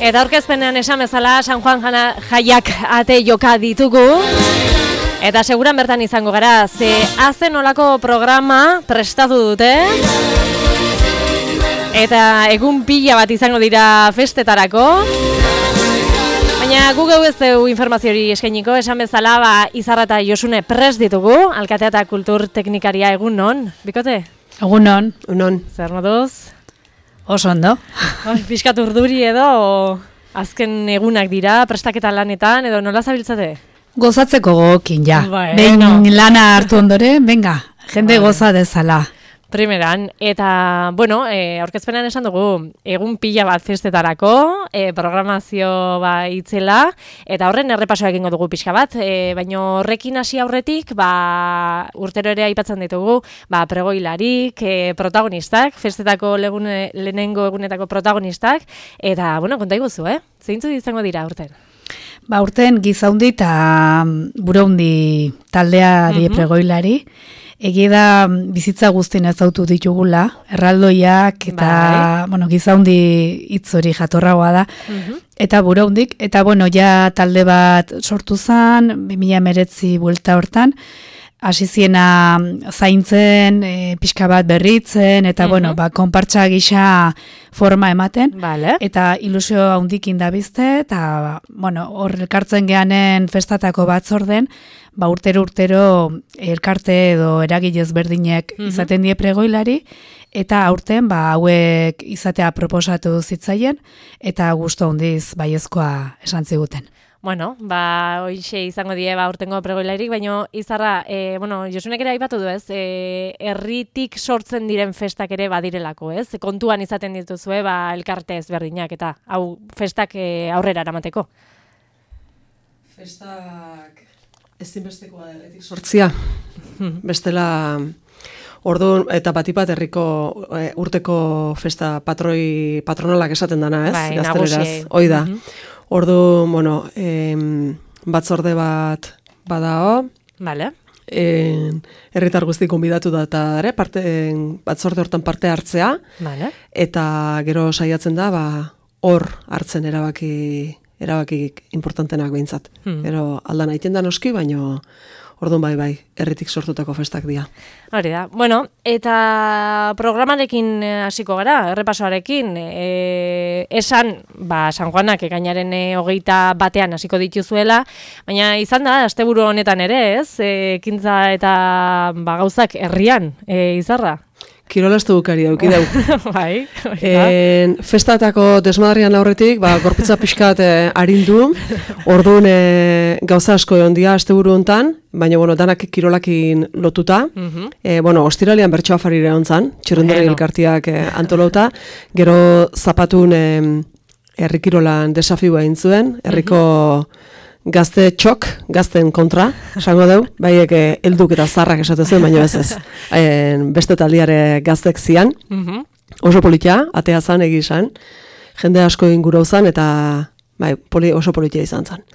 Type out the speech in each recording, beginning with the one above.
Eta aurkezpenean esan bezala San Juan jaiak ate joka ditugu. Eta seguran bertan izango gara, ze azen olako programa prestatu dute. Eta egun pila bat izango dira festetarako. Baina gu geu ez dugu informaziori eskainiko, esan bezala Izarra eta Josune prest ditugu, alkatea eta kultur teknikaria egun non, bikote? Egun non. Unon. Zer moduz? Oso ondo. Piskat urduri edo, azken egunak dira, prestaketa lanetan, edo nola zabiltzate? Gozatzeko gokin, ja. Bueno. Lana hartu ondore, venga, jende goza dezala. Primeran, eta, bueno, aurkezpenean esan dugu, egun pila bat festetarako, programazio itzela, eta horren errepasoa egingo dugu pixka bat, baina horrekin hasi aurretik, urtero ere aipatzen ditugu, pregoilarik, protagonistak, festetako lehenengo egunetako protagonistak, eta, bueno, konta iguzu, zeintzu izango dira urten? Urten Gizaundi eta Buraundi taldea die pregoilari, egia da bizitza guztien ezautu ditugula, erraldoiak eta Gizaundi hitz hori jatorragoa da, eta Buraundik, eta ja talde bat sortu zen, 2019 buelta hortan, hasi ziena zaintzen, pixka bat berritzen, eta konpartsa gisa forma ematen, eta ilusio handikin dabizte, eta hor elkartzen geanen festatako batzorden, urtero elkarte edo eragilez berdinek izaten die pregoilari, eta aurten hauek izatea proposatu zitzaien, eta gustu handiz baiezkoa esan ziguten. Bueno, hoxe izango die urtengo pregoilairik, baina Izarra, Josunek ere aipatu du ez, herritik sortzen diren festak ere badirelako, ez? Kontuan izaten dituzue, elkarte ezberdinak, eta hau festak aurrera eramateko. Festak ezinbestekoa da herritik sortzia. Bestela, orduan, eta batipat herriko urteko festa patronalak esaten dana, ez? Gazteleraz, hoi da. Ordu, batzorde bat badao. Vale. Herritar guzti konbidatu da eta batzorde hortan parte hartzea. Vale. Eta gero saiatzen da, hor hartzen erabaki importantenak behintzat. Gero aldan aiten da noski, baino orduan bai, herritik sortutako festak dira. Hori da. Bueno, eta programarekin hasiko gara, errepasoarekin, esan, San Juanak ekainaren 21 hasiko dituzuela, baina izan da, asteburu honetan ere, ez? Ekintza eta gauzak herrian, Izarra? Kirolaztu bukari dauki dau. Bai. Festatako desmadarrian aurretik, gorputza pixkat arindu, orduan gauza asko egon dia asteburu hontan, baina danak kirolakin lotuta. Ostiralean bertsoa farire hontzan, txirrendari elkartiak antolauta, gero zapatun herri kirolan desafioa egin zuen, herriko gazte gazten kontra, esango deu, baiek helduk eta zarrak esate zuen, baina ez. Beste taldiare gaztek zian, oso politia, atea zan, egizan, jende asko ingurau zan, eta oso politia izan zan.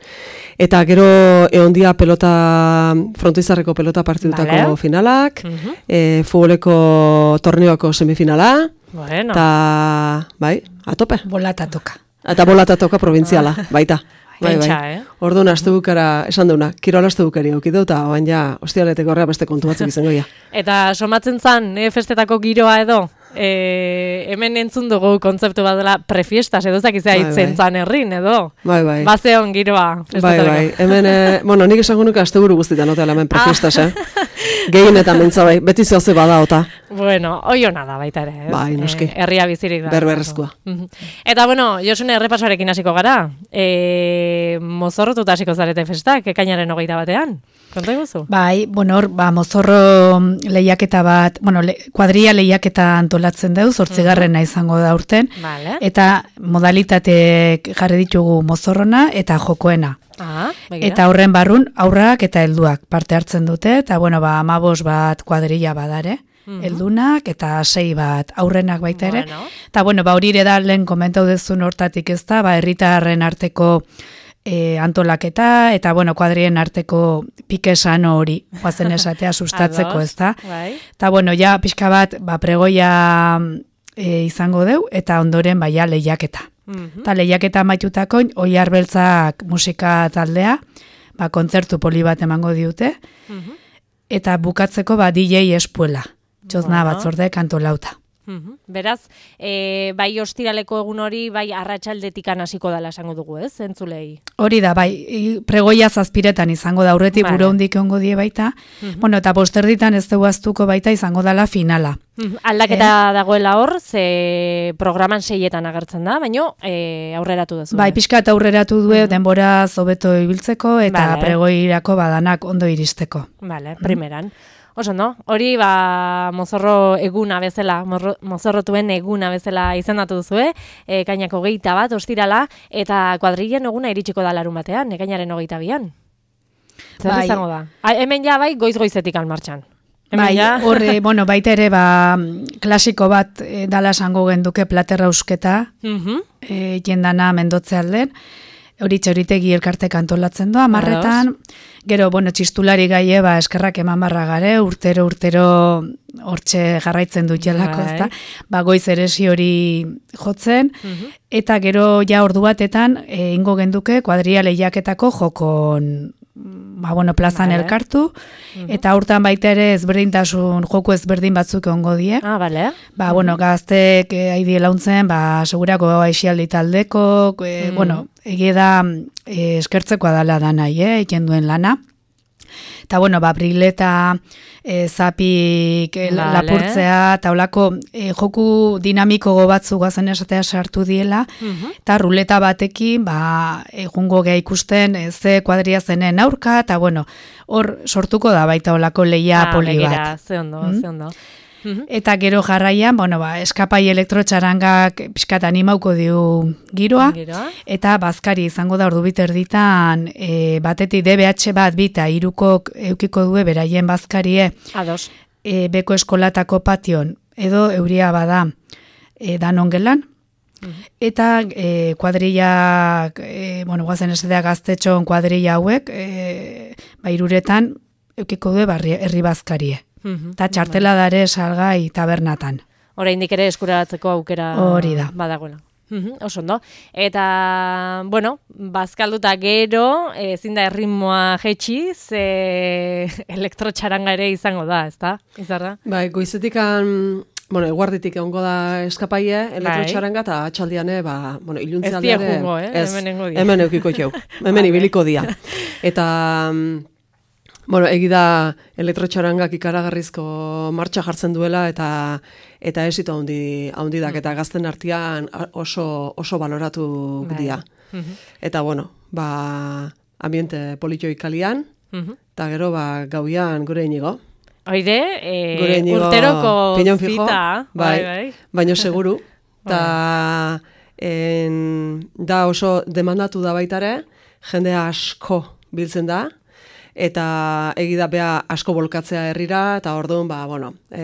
Eta gero egondia frontoizarreko pelota partidutako finalak, futboleko torneoako semifinala, eta, atope. Bolatatoka. Eta bolatatoka provintziala, baita. Bai. Orduan, astebukara, esan duna, kirola astebukari aukidu, eta oan ostialeteko horrea beste kontu batzuk izango ja. Eta somatzen zan, festetako giroa edo, hemen entzun dugu kontzeptu bat dela prefiestas, edo zakizea hitzen zan herrin, edo? Bai. Bazeon giroa festetareko. Bai. Hemen, nik esango nuke asteburu guztietan, oteala hemen prefiestas, Gehien eta mentza bai, beti zoaze bada, ota. Bueno, oiona da baita ere, ez? Bai, noski. Herria bizirik da. Berberrezkoa. Eta, Josune, errepasoarekin hasiko gara. Mozorrotuta hasiko zarete festak, ekainaren 21. Konta iguzu? Bai, hor, mozorro lehiaketa bat, kuadria lehiaketa antolatzen deu, 8. izango da urten. Vale. Eta modalitateek jarri ditugu mozorrona eta jokoena. Eta horren barrun, aurrak eta helduak parte hartzen dute, eta 15 bat kuadrilla badare, heldunak eta 6 bat aurrenak baita ere. Eta hori ere da lehen komentau dezun hortatik ez da, herritarren arteko antolaketa, eta kuadrien arteko pikesan hori, guazen esatea sustatzeko ez da. Eta pixka bat pregoia izango deu, eta ondoren lehiaketa. Eta lehiaketa amaitutako Oiar Beltzak musika taldea, kontzertu poli bat emango diute, eta bukatzeko DJ Espuela, txozna batzorde kantolauta. Beraz, bai ostiraleko egun hori, bai arratsaldetikan hasiko dela esango dugu, ez, entzulei? Hori da, bai, pregoia 7 izango da, aurretik bure hondik egongo die baita, bueno, eta posterditan ez dugu aztuko baita izango dela finala. Aldaketa dagoela hor, ze programan 6etan agertzen da, baino aurreratu duzu. Bai, pixka eta aurreratu du denbora hobeto ibiltzeko eta pregoirako badanak ondo iristeko. Vale, primeran. Oso, no? Hori, mozorro eguna bezala, mozorrotuen eguna bezala izendatu duzu, ekainako 21 ostirala, eta kuadrilen eguna iritsiko da larun batean, ekainaren 22an. Zer izango da? Hemen ja bai, goiz-goizetik martxan. Bai, horre, bueno, baita ere, klasiko bat dala esango genduke platerra eusketa, jendana Mendotze alden, hori txoritegi elkartek antolatzen doa, marretan, gero, bueno, txistulari gaie, eskerrak eman barra gare, urtero hortxe jarraitzen dut jelako, ezta? Goiz eresi hori jotzen, eta gero ja ordu batetan, ingo genduke kuadria lehiaketako jokon, plazan elkartu, eta hortan baita ere ezberdintasun, joko ezberdin batzuk ongo die. Gaztek haidi launtzen, segurako aixialdi taldeko, egie da eskertzekoa dala da nahi, eken duen lana. Eta, brileta, zapik, lapurtzea, eta olako joku dinamiko batzu guazen esatea sartu diela, eta ruleta batekin, egungo geha ikusten, ze kuadria zenen aurka, eta, hor sortuko da baita olako lehia poli bat. Ze ondo. Eta gero jarraian, eskapai elektrotxarangak pixkat animauko diu giroa, eta bazkari izango da ordu biterditan, batetik DBH bat bita, irukok eukiko due beraien bazkarie, beko eskolatako pation, edo euria bada danon gelan, eta kuadrillak, guazen esatea gaztetxon kuadrilla hauek, iruretan eukiko due herri bazkarie. Eta txartela dare salgai tabernatan. Oraindik ere eskuraratzeko aukera hori da. Badagoela. Oso ondo. Eta, bazkalduta gero, ezin da erritmoa jetxi, ze elektrotxaranga ere izango da, ezta? Izarra? Bai, goizetikan, eguarditik egongo da eskapaie, elektrotxaranga, eta atxaldian, iluntzialdia ere... Ez diakungo, hemen engo dia. Hemen eukiko jau, hemen ibiliko dia. Eta... egida elektrotxarangak ikaragarrizko martxa jartzen duela eta esito handi dak, eta gazten artean oso baloratu dira. Eta, ambiente politioi kalian, eta gero, gauian gure inigo. Oide, urteroko zita. Baina seguru. Eta da oso demandatu da baitare, jende asko biltzen da, eta egida bea asko bolkatzea herrira, eta orduan,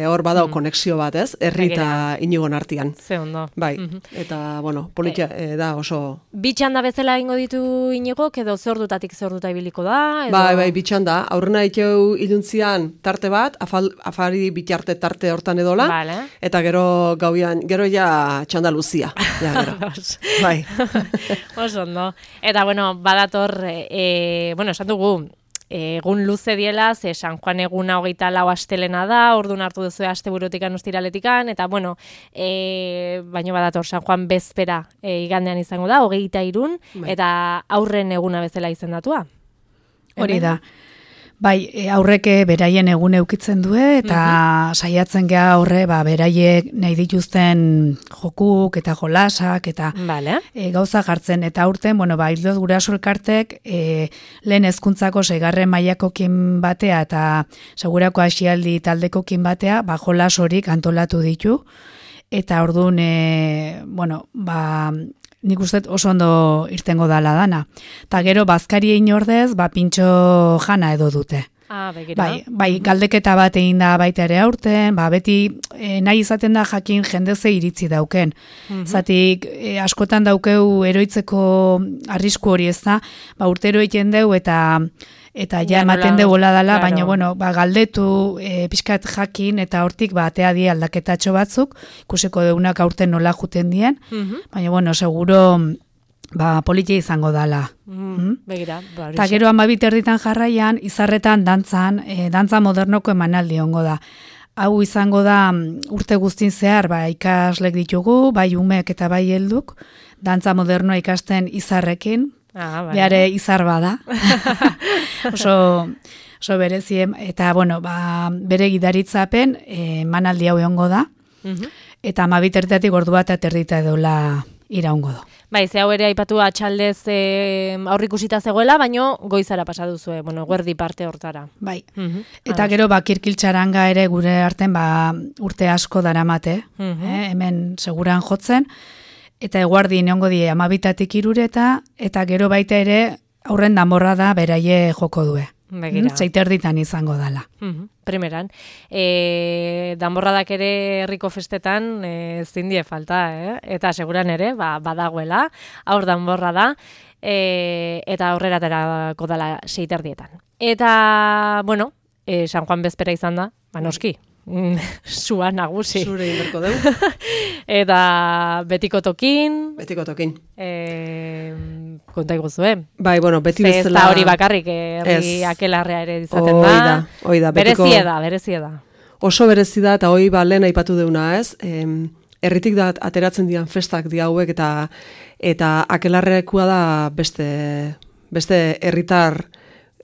hor badao konexio bat, ez? Herri eta inigon artian. Ze ondo. Bai, eta, politia da oso... Bitxanda bezala ingo ditu inigok, edo ze ordutatik ze orduta ibiliko da? Bai, bitxanda. Aurrena ikeu iluntzian tarte bat, afari bitarte tarte hortan edola, eta gero gauian, gero ja txanda luzia. Bai. Oso ondo. Eta, badator, esan dugu, egun luze diela, ze San Juan eguna 24 astelena da, orduan hartu duzu asteburutikan ostiraletikan, eta baino badator San Juan bezpera igandean izango da, 23, eta aurren eguna bezala izendatua. Hori da. Bai, aurreke beraien egun eukitzen du, eta saiatzen geha horre, beraiek nahi dituzten jokuk eta jolasak, eta gauza jartzen. Eta aurten, hildoz guraso elkartek, lehen hezkuntzako 6. mailakokin batea, eta segurako asialdi taldekokin batea, jolas horik antolatu ditu. Eta orduan, nik uste oso ondo irtengo dala dana. Ta gero, bazkari egin ordez, pintxo jana edo dute. Bai, galdeketa bat egin da baita ere aurten, beti nahi izaten da jakin jendeze iritzi dauken. Zatik, askotan daukeu eroitzeko arrisku hori ez da, urtero egiten deu eta eta ja ematen degola dela, baina bueno, ba, galdetu pixkat jakin, eta hortik ba, atea die aldaketatxo batzuk, ikusiko deunak aurten nola juten dien, baina bueno, seguro ba, politia izango dala. Begira, ba, eta gero 12 jarraian, izarretan dantzan, dantza modernoko emanaldi ongo da. Hau izango da urte guztin zehar, ba, ikaslek ditugu, bai umek eta bai helduk, dantza modernoa ikasten izarrekin, behare izar bada. oso berezien, eta bueno, ba, bere gidaritzapen emanaldi hau egongo da, eta 12 ordu bat aterdita edola iraungo du. Bai, ze hau ere aipatu atxaldez aurrikusita zegoela, baino goizara pasa duzue, bueno, guerdi parte hortara. Bai, eta gero ba, kirkiltxaranga ere gure arten ba, urte asko daramate, hemen seguran jotzen, eta eguardi neongo die 12 irureta, eta gero baita ere aurren danborra da beraie joko due. Zeiterditan izango dala. Primeran. Danborradak ere herriko festetan zindie falta, eta seguran ere, badagoela, aur danborra da, eta aurrera aterako dala 6:00. Eta, bueno, San Juan bezpera izan da, noski, sua nagusi. Zure inberko deu. Eta betiko tokin. Betiko tokin. Konta iguzue. Bai, bueno, beti bezala. Ez da hori bakarrik, herri akelarrea ere izaten da. Oida. Berezie da. Oso berezi da, eta hoi ba lehen aipatu deuna, ez? Herritik da ateratzen dian festak di hauek, eta akelarrekua da beste herritar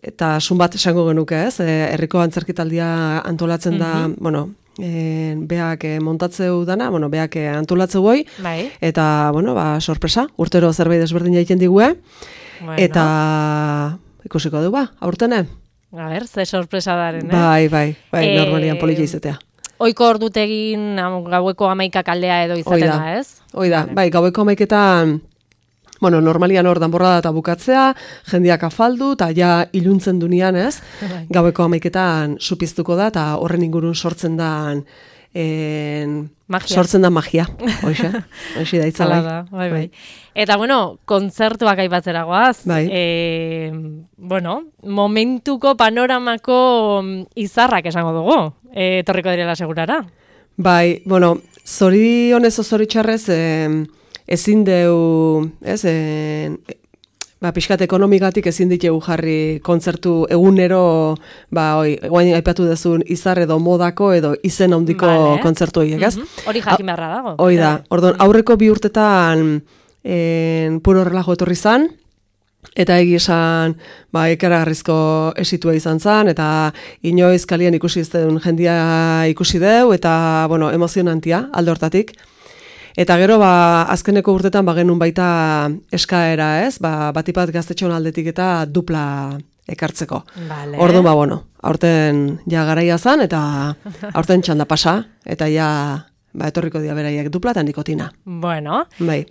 eta sun bat esango genuke, ez? Herriko antzerkitaldia antolatzen da, bueno, beak montatzeu dana, bueno, beak antolatzeu goi, eta, bueno, ba, sorpresa, urtero zerbait desberdin jaiten digue, eta ikusiko du, ba, aurtene? A ber, ze sorpresa daren, Bai, normalian polilla izatea. Oiko ordutegin gaueko 11 aldea edo izaten da, ez? Oida, bai, gaueko 11etan, bueno, normalian hor danborrada eta bukatzea, jendiak afaldu, eta ja iluntzen dunean, ez? Gaueko 11etan supiztuko da, eta horren ingurun sortzen da magia. Hoxe da itzala. Bai. Eta, bueno, kontzertuak aipatzera goaz. Bai. Bueno, momentuko panoramako izarrak esango dugu. Etorriko direla segurara. Bai, bueno, zorionez o zoritxarrez, ezin deu, ez, pixkat ekonomigatik ezin ditegu jarri kontzertu egunero, guain aipatu dezun izar edo modako edo izen handiko kontzertu horiek, ez? Hori jakin beharra dago. Hoi da, orduan, aurreko 2 urtetan puro relajo etorri zan, eta esan, ikaragarrizko esitua izan zan, eta inoiz kalian ikusi ez den jendia ikusi deu, eta, bueno, emozionantia, alde hortatik. Eta gero, azkeneko urtetan genuen baita eskaera, ez? Batipat gaztetxon aldetik eta dupla ekartzeko. Orduan, bueno, aurten ja garaia zan, eta aurten txanda pasa, eta ja etorriko dira beraiek dupla eta nikotina. Bueno, bai.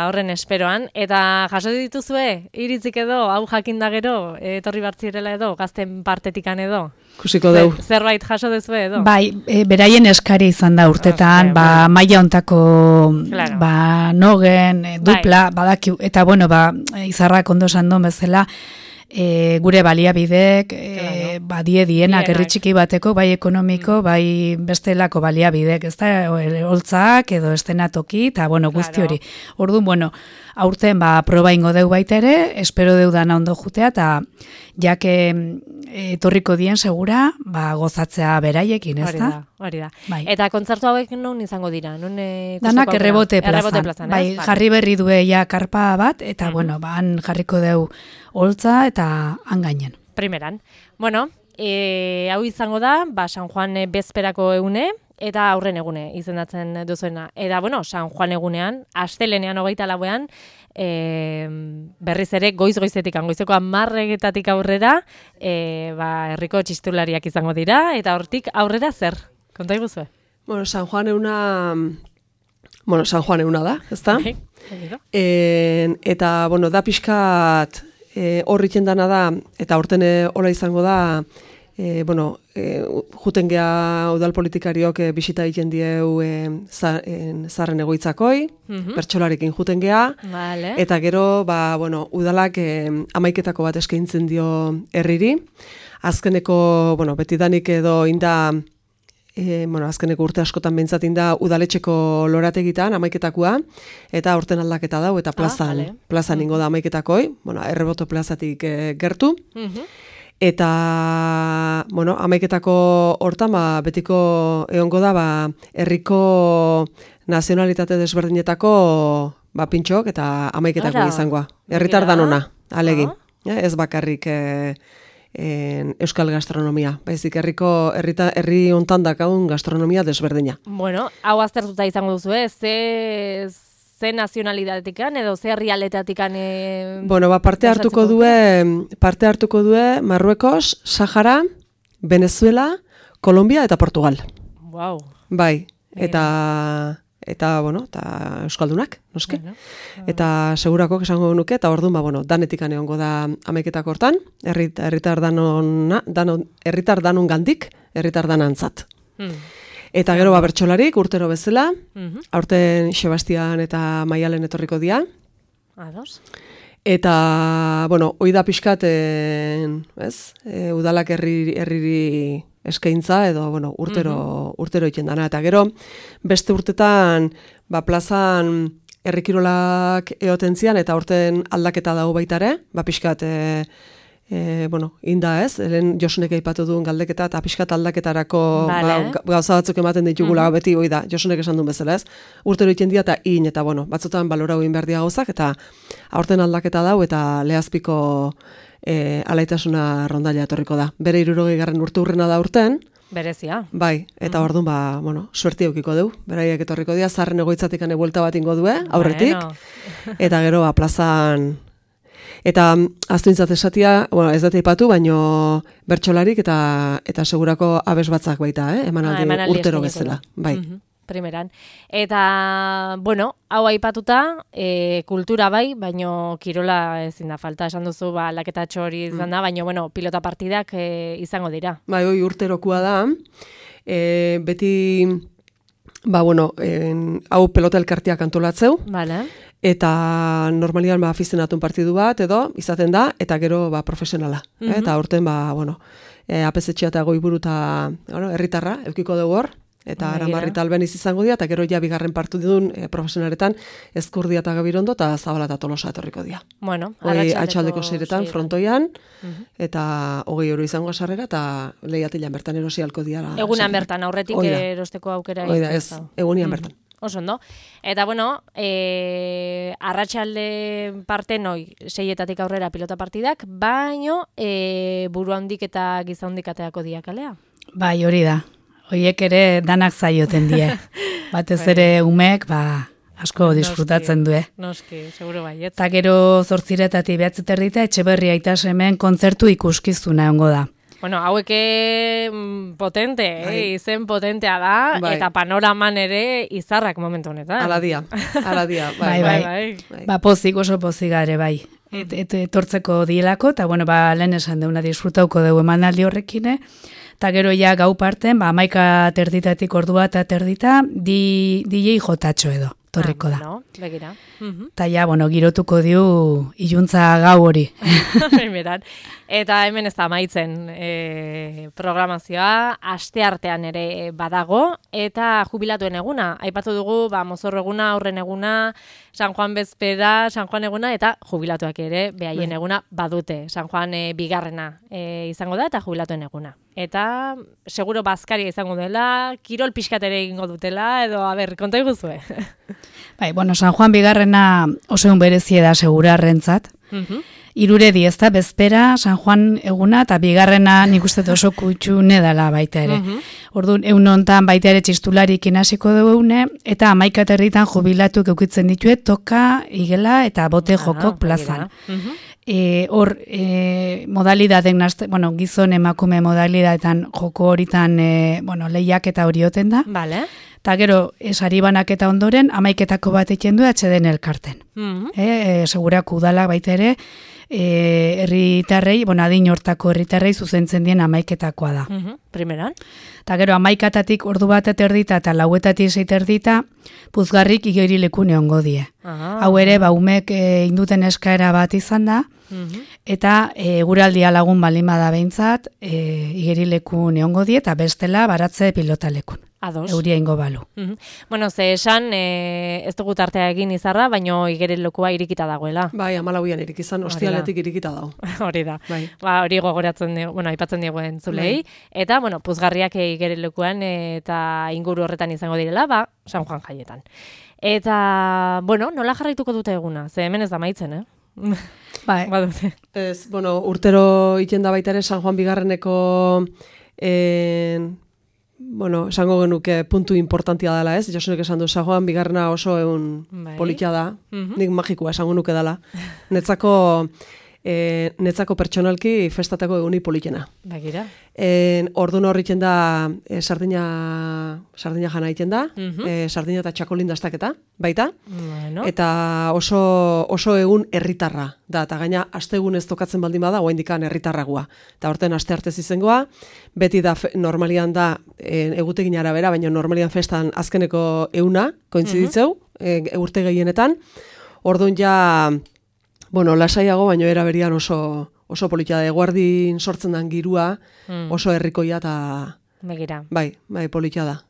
Horren esperoan, eta jaso dituzue, iritzik edo, hau jakinda gero, etorri bartzirela edo, gazten partetikan edo? Kusiko deu. Zerbait jaso dezue edo? Bai, beraien eskari izan da urtetan, maila ontako nogen, dupla, badakiu, eta bueno, izarrak ondo esan duen bezala, gure baliabidek, dienak herri txiki bateko, bai ekonomiko, bai bestelako baliabidek, ez da, holtzak edo estenatoki, eta bueno, guzti hori. Orduan, bueno, aurten proba ingo deu baita ere, espero deu dana ondo jutea, eta jake etorriko dien segura, gozatzea beraiekin, ez da? Hori da. Eta kontzertu hauek non izango dira? Danak errebote plazan. Bai, jarri berri due ja karpa bat, eta bueno, han jarriko deu holtza eta han gainen. Primeran. Bueno, hau izango da, San Juan bezperako egune, eta aurren egune izendatzen duzuena. Eta, bueno, San Juan egunean, astelenean 24ean, berriz ere goiz-goizetik, goizeko 10:00 aurrera, herriko txistulariak izango dira, eta hortik aurrera zer? Konta iguzue? Bueno, San Juan eguna da, ezta? Eta, bueno, da pixkat horritzen dana da, eta horten hola izango da, juten geha udal politikariok bisita egiten dieu zarren egoitzakoi, bertsolarekin juten geha, vale. Eta gero, udalak amaiketako bat eskaintzen dio herriri. Azkeneko, betidanik edo inda, azkeneko urte askotan behintzat inda udaletxeko lorategitan amaiketakoa, eta aurten aldaketa dau, eta plazan ingo da amaiketakoi, Erreboto plazatik gertu. Eta, amaiketako hortan, betiko egongo da, herriko nazionalitate desberdinetako pintxok eta amaiketako izangoa. Herritar danona, alegin. Ez bakarrik euskal gastronomia. Baizik herri hontan dakaun gastronomia desberdina. Bueno, hau aztertuta izango duzu, ze nazionalidadetikan edo ze herrialdetatik parte hartuko due Marruekos, Sahara, Venezuela, Kolombia eta Portugal. Wow. Bai, eta euskaldunak, noski. Eta segurako esango nuke, eta orduan, danetikan egongo da amaiketako hortan, herritar danon gandik, herritar danantzat. Eta gero bertsolarik urtero bezala, aurten Sebastian eta Maialen etorriko dira. Ados. Eta, hoi da pixkat, udalak herriri eskaintza edo, urtero iten dana. Eta gero, beste urtetan, plazan herrikirolak eoten zian, eta aurten aldaketa dago baitare, pixkat, inda ez, helen Josunek aipatu duen galdeketa, eta pixkat aldaketarako gauza batzuk ematen ditugula beti, hoi da, Josunek esan duen bezala ez, urtero iten dira eta batzutan balorau egin behar dia gauzak, eta aurten aldaketa dau, eta lehazpiko alaitasuna rondaila etorriko da. Bere 60. urte urrena da urten. Berezia. Bai, eta orduan, suerti eukiko du. Beraiek etorriko dira, zarren egoitzatik buelta bat ingo due, aurretik. Eta gero, plazan. Eta aztuintzat esatia, ez dut eipatu, baino bertsolarik eta segurako abes batzak baita, emanaldi urtero bezala. Bai. Primeran. Eta, hau aipatuta, kultura bai, baino kirola ezin da falta, esan duzu, laketatxo hori izan da, baino, pilota partidak izango dira. Bai, hoi urterokua da, beti, hau pelota elkartiak antolatzeu, vale. Eta normalian afizionatun partidu bat edo izaten da, eta gero profesionala. Eta aurten, apesetxea eta goiburu eta herritarra, eukiko dugu hor, eta Aramarrita Albeniz izango dira, eta gero ja bigarren partidun profesionaretan Ezkurdia eta Gabirondo eta Zabala eta Tolosa etorriko dira. Bueno, atxaldeko 6etan frontoian, eta 20 euro izango sarrera, eta lehiatilan bertan erosi halko dira. Egunan bertan, aurretik erosteko aukera. Oida, ez, egunian bertan. Oso ondo. Eta, arratsalde parte noi, 6etatik aurrera pilota partidak, baino buru handik eta giza handik ateako diakalea. Bai, hori da. Hoiek ere danak zaioten die. Batez ere umek, asko disfrutatzen due. Noski, seguro baiet. Eta gero 8:00 9:30 Etxeberria Aitas hemen kontzertu ikuskizuna egongo da. Bueno, haueke potente, izen potentea da, eta panoraman ere izarrak momentu honetan. Ala dia, bai. Pozik, oso pozigare, bai. Etortzeko dielako, eta lehen esan deuna disfrutauko dugu emanaldi horrekine, eta gero ja gau parten, 11:30 ordua eta terdita, DJ Jotatxo edo, torriko da. Begira. Eta ja, girotuko diu iluntza gau hori. Eta hemen ez da amaitzen programazioa, asteartean ere badago, eta jubilatuen eguna. Aipatu dugu, mozorro eguna, aurren eguna, San Juan bezpera, San Juan eguna, eta jubilatuak ere, behaien eguna badute. San Juan bigarrena izango da, eta jubilatuen eguna. Eta, seguro bazkaria izango dela, kirol pixkatere egingo dutela, edo, konta iguzue. Bai, San Juan bigarrena oso berezie da segurarrentzat. Iruredi ez da, bezpera, San Juan eguna, eta bigarrena nik uste oso kutxune dela baita ere. Orduan, egun hontan baita ere txistularik inasiko dugu eta 11:00 jubilatuk eukitzen ditue, toka, igela eta bote jokok plazan. Hor, modalidaden, gizon emakume modalidadetan joko horitan, lehiak eta hori oten da. Vale. Eta gero, sari banaketa ondoren, 11etako bat egiten du atxeden elkarten. Segurak udalak baita ere, herritarrei, adin hortako herritarrei zuzentzen dien 11etakoa da. Primeran. Eta gero, 11etatik ordu bat eterdita eta 4etatik 6 eterdita, puzgarrik igerileku neongo die. Hau ere, umek induten eskaera bat izan da, eta eguraldia lagun balima da behintzat, igerileku neongo die, eta bestela baratze pilotalekun. Ados. Euria ingo balu. Bueno, ze esan, ez dugu tartea egin izarra, baino igerilekua irikita dagoela. Bai, 14an irikizan, ostialetik irikita dago. Hori da. Bai. Hori gogoratzen dugu, aipatzen dugu entzulei. Eta, puzgarriak igerilekuan eta inguru horretan izango direla, San Juan jaietan. Eta, nola jarraituko dute eguna? Ze hemen ez da maitzen, Bai. Badute. Ez, urtero iten da baita ere San Juan Bigarreneko esango genuke puntu importantia dela, ez? Josunek esan du, San Juan Bigarrena oso egun politia da, nik magikoa esango nuke dela. Netzako pertsonalki festatako eguni politena. Bagira. Ordun horritzen da sardina jana egiten da, sardina eta txakolin dastaketa, baita. Eta oso egun herritarra da, eta gaina astegun ez tokatzen baldin bada, oraindikan herritarragoa. Eta horten aste artez izengoa, beti da normalian da egutegin arabera, baina normalian festan azkeneko euna kointziditzeu, urte gehienetan. Ordun ja lasaiago, baina era berian oso politia da, eguardin sortzen den girua, oso herrikoia eta Begira. Bai, politia da.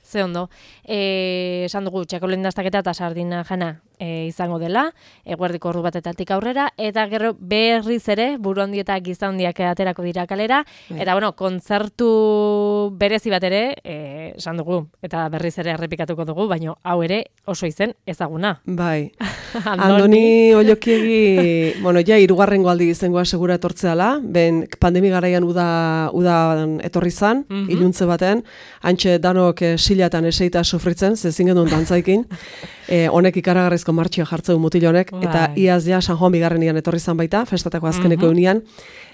Ze ondo. Esan dugu, txakolen dastaketa eta sardina jana izango dela, eguerdiko ordu batetatik aurrera, eta gero berriz ere, buru handi eta giza handiak aterako dira kalera, eta kontzertu berezi bat ere, esan dugu, eta berriz ere errepikatuko dugu, baina hau ere oso izen ezaguna. Bai. Andoni Ollokiegi, ja, 3. aldi izangoa segura etortzeala, ben pandemi garaian udan etorri zan, iluntze baten, antxe danok silatan eseita sufritzen, zezin genuen dantzaikin, honek ikaragarrizko martxia jartzeu mutil honek, eta iaz ja San Juan Bigarrenian etorri zan baita, festatako azkeneko eunian,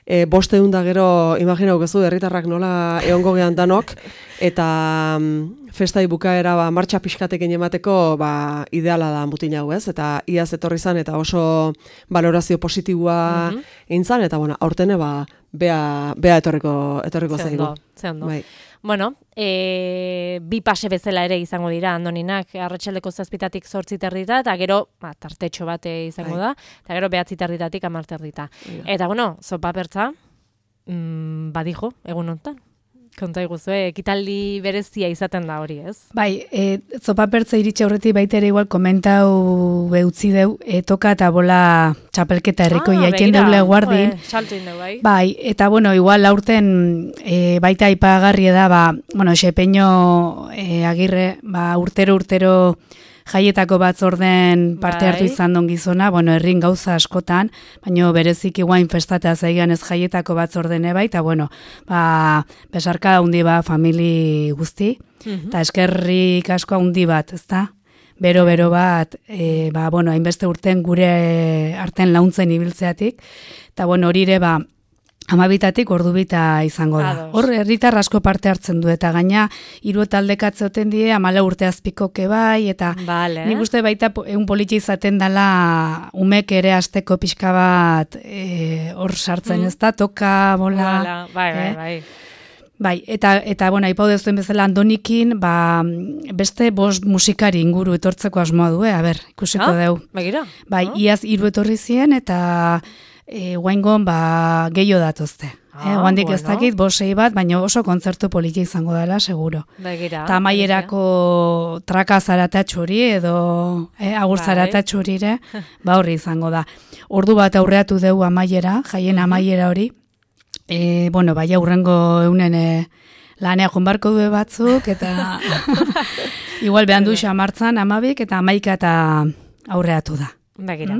500 da gero, imaginau gezu, herritarrak nola egongo gehan danok, eta festai bukaera martxa pixkatekin emateko ideala da mutil hau, ez? Eta iaz etorri zan, eta oso valorazio positiboa intzan, eta aurtene bea etorriko zaigu. Ze ondo. Bueno, bi pase bezala ere izango dira Andoninak, arratsaldeko 7:00 8:30 eta gero tartetxo bat izango da, eta gero 9:00 10:00. Eta zopa pertza, badijo, egun honetan. Konta iguzue, ekitaldi berezia izaten da hori, ez? Bai, zopa pertza iritsi aurretik baita ere igual komentau beutzi deu, toka eta bola txapelketa herriko iaken deule guardin. Saltu indeu, bai. Bai, eta igual aurten baita aipagarria da, Xepeño Agirre, urtero jaietako batzorden parte hartu izan don gizona, herrin gauza askotan, baina bereziki guain festatea zaigan ez jaietako batzordene bai, eta besarka handi famili guzti, eta eskerrik asko handi bat, ezta? Bero bat, hainbeste urten gure arten launtzen ibiltzeatik, eta hori ere 12:00 ordubita izango da. Hor herritar asko parte hartzen du, eta gaina 3 taldekatze oten die 14 urte azpikoke bai, eta nik uste baita egun politia izaten dela umek ere asteko pixka bat hor sartzen, ez da, toka, bola. Bai. Bai, eta aipau dezuen bezala Andonikin, beste 5 musikari inguru etortzeko asmoa du, ikusiko deu. Begira. Bai, iaz 3 etorri ziren, eta guaingon gehiago datozte. Guandik ez dakit, 5-6 bat, baina oso kontzertu politia izango dela, seguro. Begira. Eta amaierako traka zaratatxuri edo agur zaratatxurire, horri izango da. Ordu bat aurreatu dugu amaiera, jaien amaiera hori. Baina urrengo eunen lanea jonbarko du batzuk, eta igual behan du xamartzan 12 eta 11 eta aurreatu da. Begira,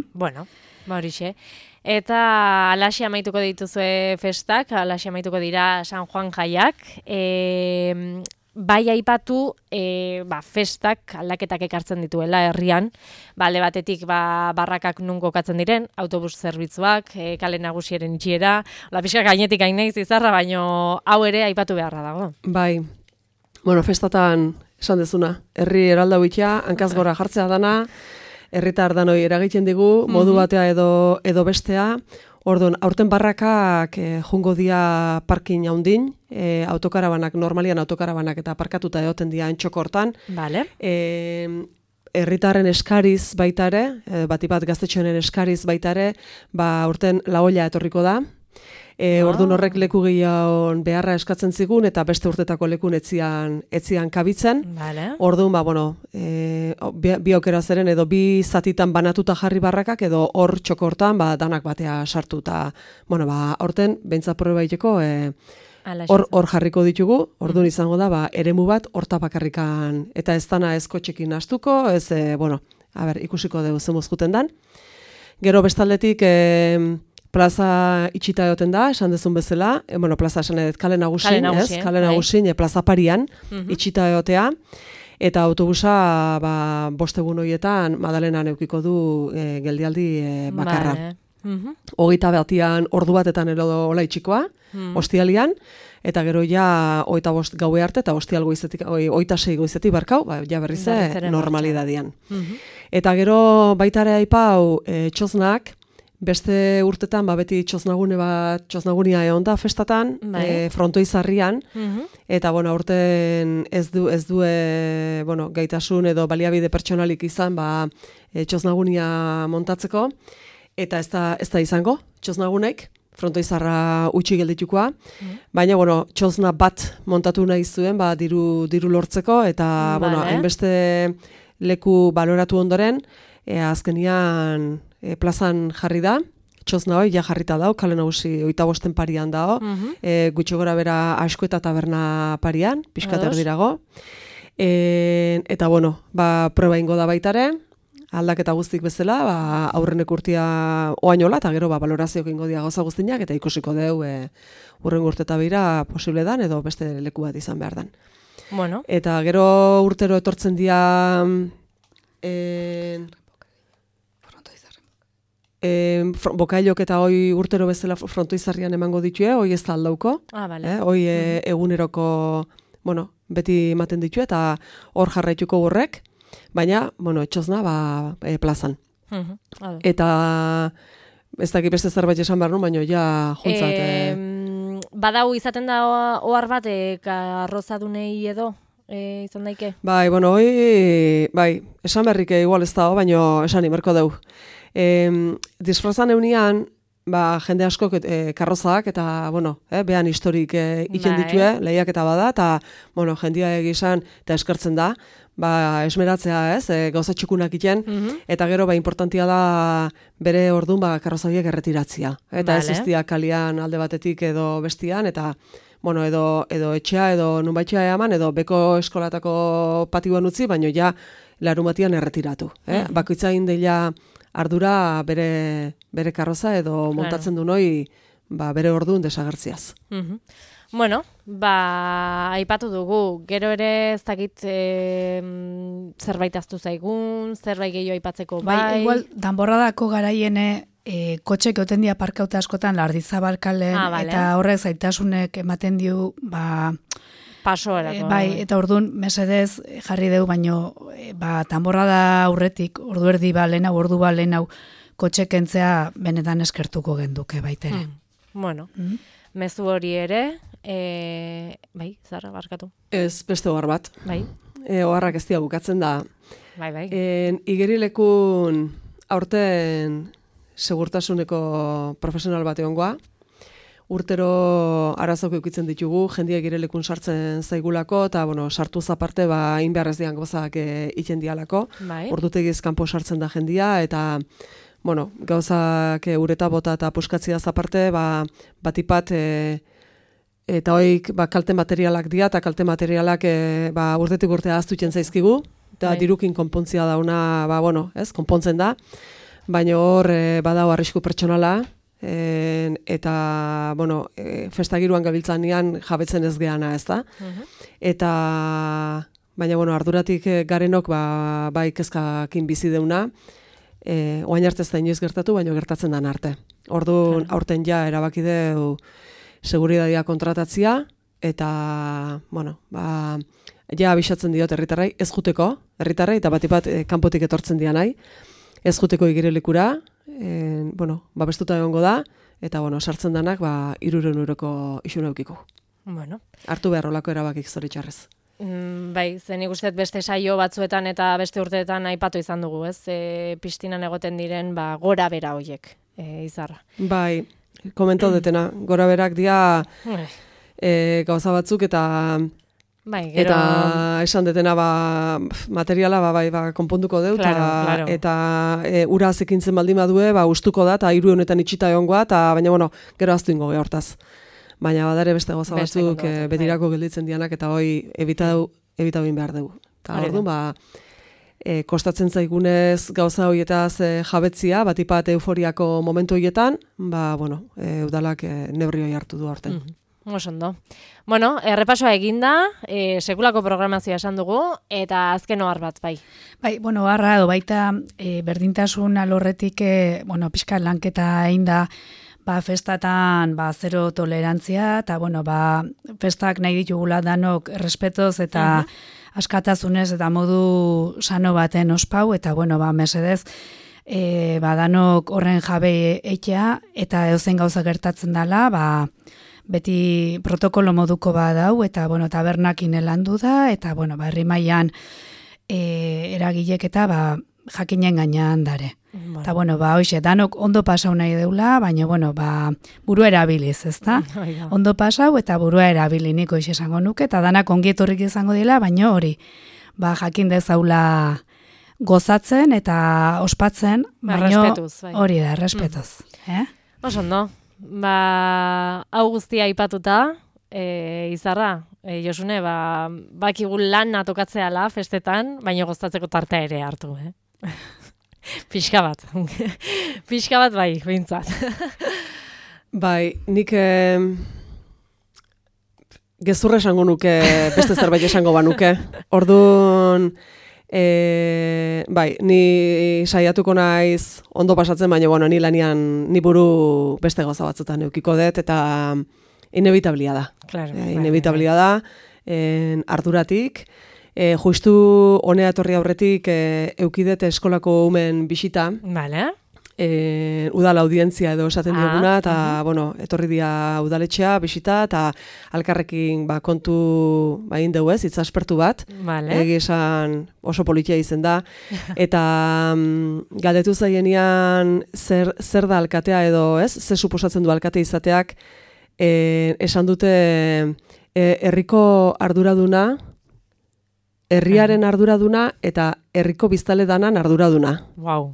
horixe. Eta alaxi amaituko dituzue festak, alaxi amaituko dira San Juan jaiak. Bai aipatu festak aldaketak ekartzen dituela herrian. Alde batetik barrakak nun kokatzen diren, autobus zerbitzuak, kale nagusiaren itxiera, pixka gainetik hain naiz izarra, baino hau ere aipatu beharra dago. Bai. Bueno, festatan esan dezuna, herri eraldau itxea, hankaz gora jartzea dana, herritar danoi eragiten digu, modu batea edo bestea. Orduan, aurten barrakak jungo dia parkin haundin, autokarabanak, normalian autokarabanak eta parkatuta egoten dia entxokortan. Vale. Herritarren eskariz baita ere, batipat gaztetxoenen eskariz baita ere, aurten laoia etorriko da. Orduan horrek leku gehiagon beharra eskatzen zigun eta beste urtetako lekun etzian kabitzen. Vale. Orduan, bi aukera zeren edo bi zatitan banatuta jarri barrakak edo hor txokortan danak batea sartu eta, aurten behintzat proba iteko hor jarriko ditugu, orduan izango da, eremu bat horta bakarrikan eta ez dana ez kotxekin astuko, ez, ikusiko dugu zemuz juten dan. Gero bestaldetik, plaza itxita egoten da, esan dezun bezala, plaza esan edet kale nagusin, plaza parian itxita egotea, eta autobusa 5 egun horietan Madalenan eukiko du geldialdi bakarra. Vale. 21 ordu batetan ola itxikoa, ostialian, eta gero ja 25 gaue arte, eta ostial goizetik, 26 goizetik barkau, ja berrize normalidadian. Eta gero baitare aipau txosnak, beste urtetan, beti txosnagunia egon da festatan, frontoizarrian, eta, aurten ez du gaitasun edo baliabide pertsonalik izan, txosnagunia montatzeko, eta ez da izango, txosnagunek, frontoizarra utxi gelditukoa, baina, txosna bat montatu nahi zuen, diru lortzeko, eta, hainbeste leku baloratu ondoren, azkenian plazan jarri da, txosna hoi, ja jarrita dao, kale nagusi 25 parian dao, gutxi gora bera asko eta taberna parian, pixkat erdirago, eta, proba ingo da baitare, aldaketa guztik bezala, aurrenek urtia oainola, eta gero balorazioak ingo dia gauza guztinak, eta ikusiko deu urren urteta bira posible dan, edo beste leku bat izan behar dan. Bueno. Eta gero urtero etortzen dia bokailok eta hoi urtero bezala frontoizarrian emango ditue, hoi ez da aldauko. Vale. Hoi eguneroko, beti ematen ditue, eta hor jarraituko horrek, baina, etxosna, plazan. Eta ez dakit beste zerbait esan behar nun, baina ja juntzat. Badau izaten da ohar bat, arrozadunei edo? Izan daike? Esan berrik igual ez dago, baina esan imerko deu. Disfrazan eunian, jende asko karrozak eta, behan historik iken ditue, lehiak eta bada, eta, jendia egizan eta eskertzen da, esmeratzea ez, gauza txukunak iten, eta gero, importantia da bere orduan karrozabiek erretiratzia. Eta ez eztia kalian alde batetik edo bestian, eta, edo etxea, edo nunbaitxea eman, edo beko eskolatako patioan utzi, baino ja larumatian erretiratu. Bakoitza indeila ardura bere karroza edo montatzen du noi bere orduan desagertziaz. Bueno, aipatu dugu, gero ere ez dakit zerbait aztu zaigun, zerbait gehiago aipatzeko bai. Igual, danborradako garaiene kotxek oten dia parkauta askotan Lardizabalkalen, eta horrek zaitasunek ematen diu, paso erako. Eta orduan mesedez jarri deu, baino danborrada aurretik, ordu erdi lehenau, ordu lehenau kotxek entzea benetan eskertuko genduke baitere. Bueno, mezu hori ere, Zara, barkatu. Ez beste ohar bat. Oharrak ez dira bukatzen da. Igerilekun aurten segurtasuneko profesional bat egongoa. Urtero arazok eukitzen ditugu, jendia igirelekun sartzen zaigulako, eta sartu zaparte inbeharrez dian gozak iten dialako. Ordutegiz kanpo sartzen da jendia, eta gauzak ureta bota eta puskatzia zaparte, batipat eta hoik kalte materialak dira, eta kalte materialak urtetik urtea aztutzen zaizkigu, eta dirukin konpontzia dauna, konpontzen da, baina hor badao arrisku pertsonala, eta, festagiruan gabiltzanean jabetzen ez geana, ez da? Eta, baina, arduratik garenok, kezkakin bizi deuna, oain arte ez da inoiz gertatu, baina gertatzen dan arte. Orduan, aurten ja erabaki deu seguridadia kontratatzia, eta, bueno, ja abisatzen diot herritarrei, ez juteko, herritarrei, eta bat kanpotik etortzen dira nahi, ez juteko igerilekura, bueno, babestuta egongo da, eta, bueno, sartzen danak, 300 euroko isuna eukiko. Bueno. Hartu behar olako erabakik zoritxarrez. Bai, zen ikustet beste saio batzuetan eta beste urteetan aipatu izan dugu, ez? Piztinan egoten diren, gora bera hoiek, Izarra. Bai, komentau detena, gora berak dia gauza batzuk eta bai, gero... eta esan detena materiala konponduko deu, claro. eta ura zekintzen baldin badue, ustuko da, eta 3 honetan itxita egongoa, eta baina, bueno, gero aztu ingo hortaz. Baina badare beste gauza batzuk betirako gelditzen dianak, eta hoi evitau behar dugu. Eta orduan, kostatzen zaigunez gauza horietaz jabetzia, batipat euforiako momentu horietan, bueno, udalak neurri hori hartu du aurten. Ondo. Bueno, errepasoa eginda, sekulako programazioa esan dugu, eta azken ohar bat, bai. Bai, bueno, harra edo baita berdintasun alorretik, bueno, pixka lanketa egin da, festatan, zero tolerantzia, eta, bueno, festak nahi ditugula danok respetoz eta askatasunez eta modu sano baten ospau, eta, bueno, mesedez, danok horren jabe eitea, eta edozein gauza gertatzen dela, beti protokolo moduko badau, eta, bueno, tabernakin elandu da, eta, bueno, herri mailan eragilek eta, jakinen gainean dare. Eta, bueno, hoxe, danok ondo pasau nahi deula, baina, bueno, burua erabiliz, ezta? Ondo pasau eta burua erabili niko esango nuke, eta danak ongietorrik izango dela, baina hori, jakin dezaula gozatzen eta ospatzen, baina hori da, respetuz. Ondo, hau guztia aipatuta, Izarra, Josune, bakigu lan atokatzeala festetan, baina gozatzeko tartea ere hartu, Pixka bat bai, bintzat. Bai, nik gezurra esango nuke, beste zerbait esango banuke. Orduan, bai, ni saiatuko naiz ondo pasatzen, baina, bueno, ni lanian, ni buru beste gauza batzutan eukiko dut, eta inevitablia da. Claro, inevitablia da, arduratik. Justu honea etorri aurretik eukidet eskolako umen bisita. Vale. Udal audientzia edo esaten dioguna, eta, bueno, etorri dia udaletxea bisita, eta alkarrekin kontu indeu ez, itzaspertu bat. Vale. Esan oso politia izen da. Eta galdetu zaienean zer da alkatea edo ez, zer suposatzen du alkate izateak, esan dute herriko arduraduna, herriaren arduraduna eta herriko biztale danan arduraduna. Wow.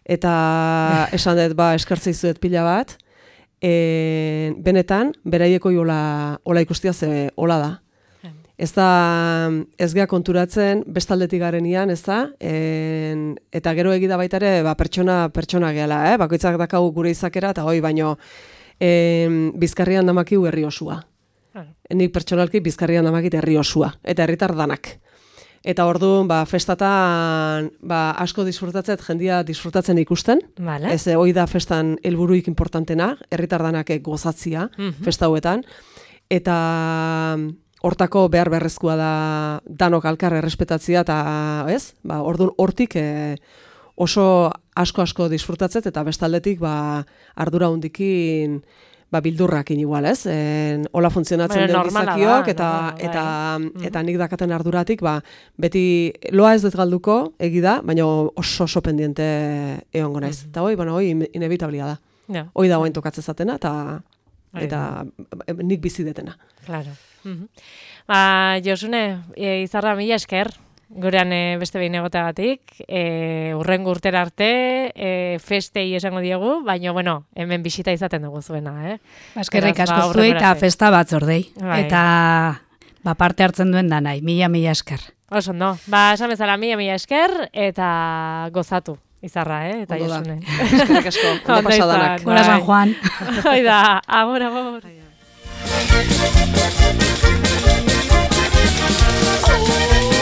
Eta esan dut, eskartzea izuet pila bat, benetan, beraieko hola ikustia ze hola da. Ez gea konturatzen, bestaldetik garenian, ez da, eta gero egida baita ere, pertsona gehala, bakoitzak dakau gure izakera, eta hoi baino, Bizkarrian damakiu herri osua. Nik pertsonalki Bizkarrian damakit herri osua, eta herritar danak. Eta orduan, festatan asko disfrutatzet, jendia disfrutatzen ikusten. Vale. Ez hoi da festan helburuik importantena, herritar danak gozatzia festa hauetan. Eta hortako behar beharrezkoa da danok alkar errespetatzia, eta ez? Orduan hortik oso asko disfrutatzet, eta bestaldetik ardura hundikin bildurrakin igual, ez? Hola funtzionatzen den gizakiok, eta nik dakaten arduratik, beti loa ez dut galduko, egida, baina oso pendiente egongo naiz. Eta hoi inevitablia da. Hoi da hoain tokatzen zatena, eta nik bizi detena. Claro. Josune, Izarra, mila esker. Gurean beste behin egoteagatik, urrengo urtera arte, festei esango diegu, baina, bueno, hemen bisita izaten dugu zuena, Eskerrik asko zuei eta festa batzordei. Eta parte hartzen duen da nahi, mila esker. Oso, no. Esan bezala, mila esker, eta gozatu, Izarra, eta Josune. Eskerrik asko, ondo pasadanak. Gora San Juan. Oida, amor. Oh,